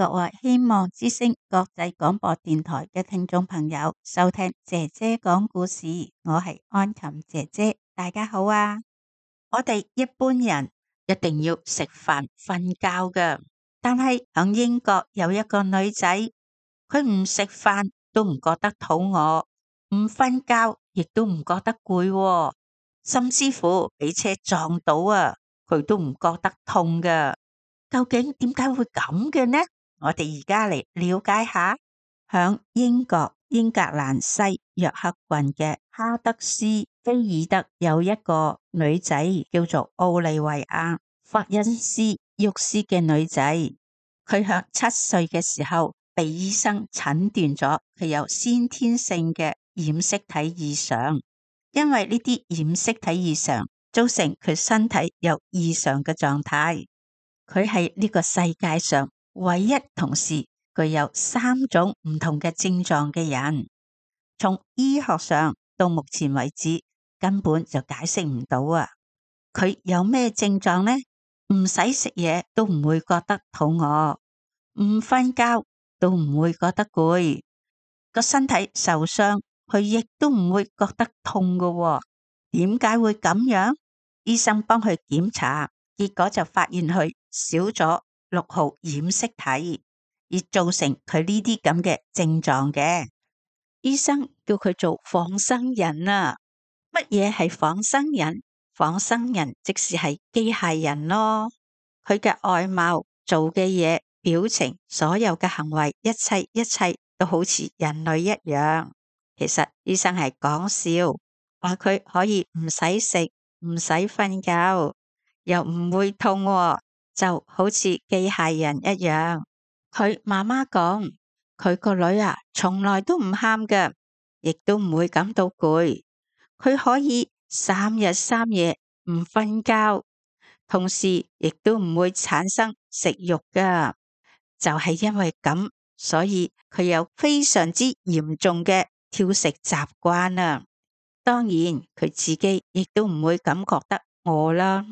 各位希望之聲國際廣播電台嘅聽眾朋友收聽姐姐講故事，我係安琴姐姐，大家好啊！我哋一般人一定要食飯瞓覺㗎，但係喺英國有一個女仔，佢唔食飯都唔覺得肚餓，唔瞓覺亦都唔覺得攰喎，甚至乎俾車撞到啊，佢都唔覺得痛㗎。究竟點解會咁嘅呢？我哋而家嚟了解下，響英國英格蘭西約克郡嘅哈德斯菲爾德有一個女仔叫做奧利維亞·霍恩斯沃斯嘅女仔，佢響7歲嘅時候被醫生診斷咗佢有先天性嘅染色體異常，因為呢啲染色體異常造成佢身體有異常嘅狀態。佢係呢個世界上唯一同時具有3種唔同嘅症狀嘅人，從醫學上到目前為止根本就解釋唔到啊！佢有咩症狀呢？唔使食嘢都唔會覺得肚餓，唔瞓覺都唔會覺得攰，個身體受傷佢亦都唔會覺得痛㗎喎。點解會咁樣？醫生幫佢檢查，結果就發現佢少咗6號染色體，而造成佢呢啲咁嘅症狀嘅。醫生叫佢做仿生人啊！乜嘢係仿生人？仿生人即是係機械人咯。佢嘅外貌、做嘅嘢、表情、所有嘅行為，一切都好似人類一樣。其實醫生係講笑，話佢可以唔使食，唔使瞓覺，又唔會痛喎，就好似機械人一樣。佢媽媽講，佢個女啊，從來都唔喊㗎，亦都唔會感到攰。佢可以3日3夜唔瞓覺，同時亦都唔會產生食慾㗎。就係因為咁，所以佢有非常之嚴重嘅挑食習慣啊。當然，佢自己亦都唔會感覺得餓啦。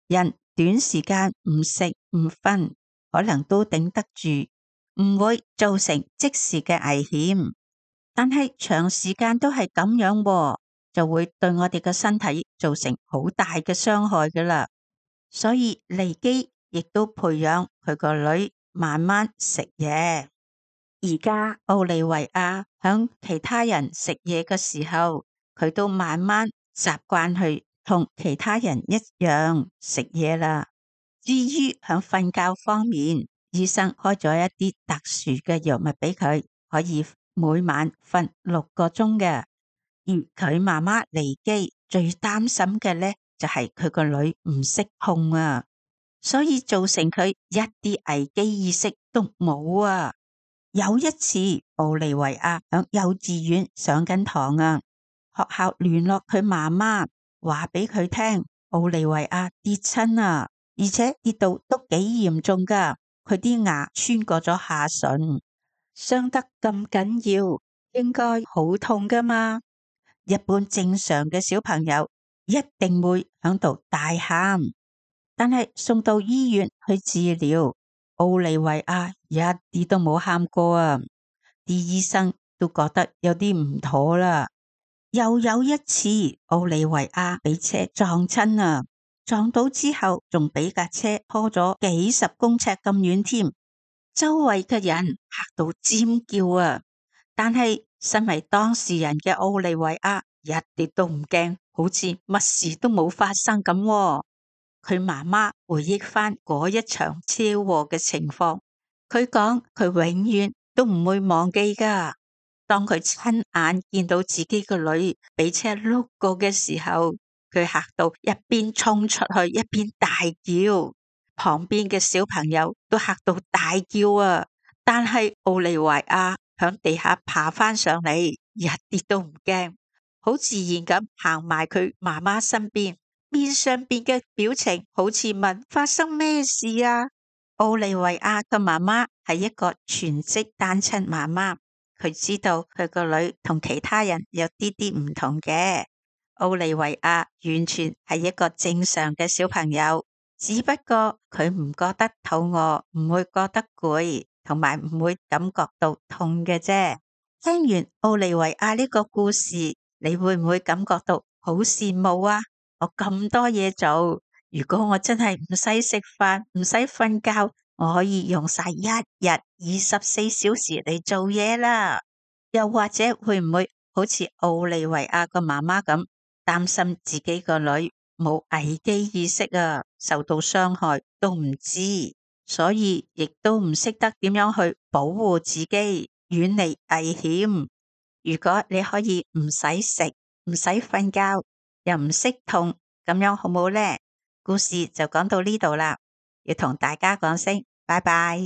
人短時間唔食唔瞓，可能都頂得住，唔會造成即時嘅危險。但係長時間都係咁樣喎，就會對我哋嘅身體造成好大嘅傷害㗎喇。所以利基亦都培養佢個女慢慢食嘢。而家奧利維亞響其他人食嘢嘅時候，佢都慢慢習慣去同其他人一樣食嘢啦。至於響瞓覺方面，醫生開咗一啲特殊嘅藥物俾佢，可以每晚瞓6個鐘嘅。而佢媽媽利基最擔心嘅呢，就係佢個女唔識控啊，所以造成佢一啲危機意識都冇啊。有一次，奧利維亞響幼稚園上緊堂啊，學校聯絡佢媽媽，話俾佢聽，奧利維亞跌親啊，而且跌到都幾嚴重噶，佢啲牙穿過咗下唇，傷得咁緊要，應該好痛噶嘛。一般正常嘅小朋友一定會響度大喊，但係送到醫院去治療，奧利維亞一啲都冇喊過啊！啲醫生都覺得有啲唔妥啦。又有一次，奧利維亞俾車撞親啊，撞到之後仲俾架車拖咗幾十公尺咁遠添，周圍嘅人嚇到尖叫啊！但係身為當事人嘅奧利維亞一啲都唔驚，好似乜事都冇發生咁喎。佢媽媽回憶翻嗰一場車禍嘅情況，佢講佢永遠都唔會忘記噶。當佢親眼見到自己個女俾車碌過嘅時候，佢嚇到一邊衝出去一邊大叫，旁邊嘅小朋友都嚇到大叫啊！但係奧利維亞響地下爬翻上嚟，一啲都唔驚，好自然咁行埋佢媽媽身邊，面上邊嘅表情好似問發生咩事啊？奧利維亞嘅媽媽係一個全職單親媽媽，佢知道佢個女同其他人有啲啲唔同嘅。奧利維亞完全係一個正常嘅小朋友，只不過佢唔覺得肚餓，唔會覺得攰，同埋唔會感覺到痛嘅啫。聽完奧利維亞呢個故事，你會唔會感覺到好羨慕啊？我咁多嘢做，如果我真係唔使食飯，唔使瞓覺，我可以用晒一日24小時嚟做嘢啦。又或者會唔會好似奧利維亞個媽媽咁，擔心自己個女冇危機意識啊，受到傷害都唔知，所以亦都唔識得點樣去保護自己，遠離危險。如果你可以唔使食，唔使瞓覺，又唔識痛，咁樣好冇呢？故事就講到呢度啦，要同大家講聲拜拜。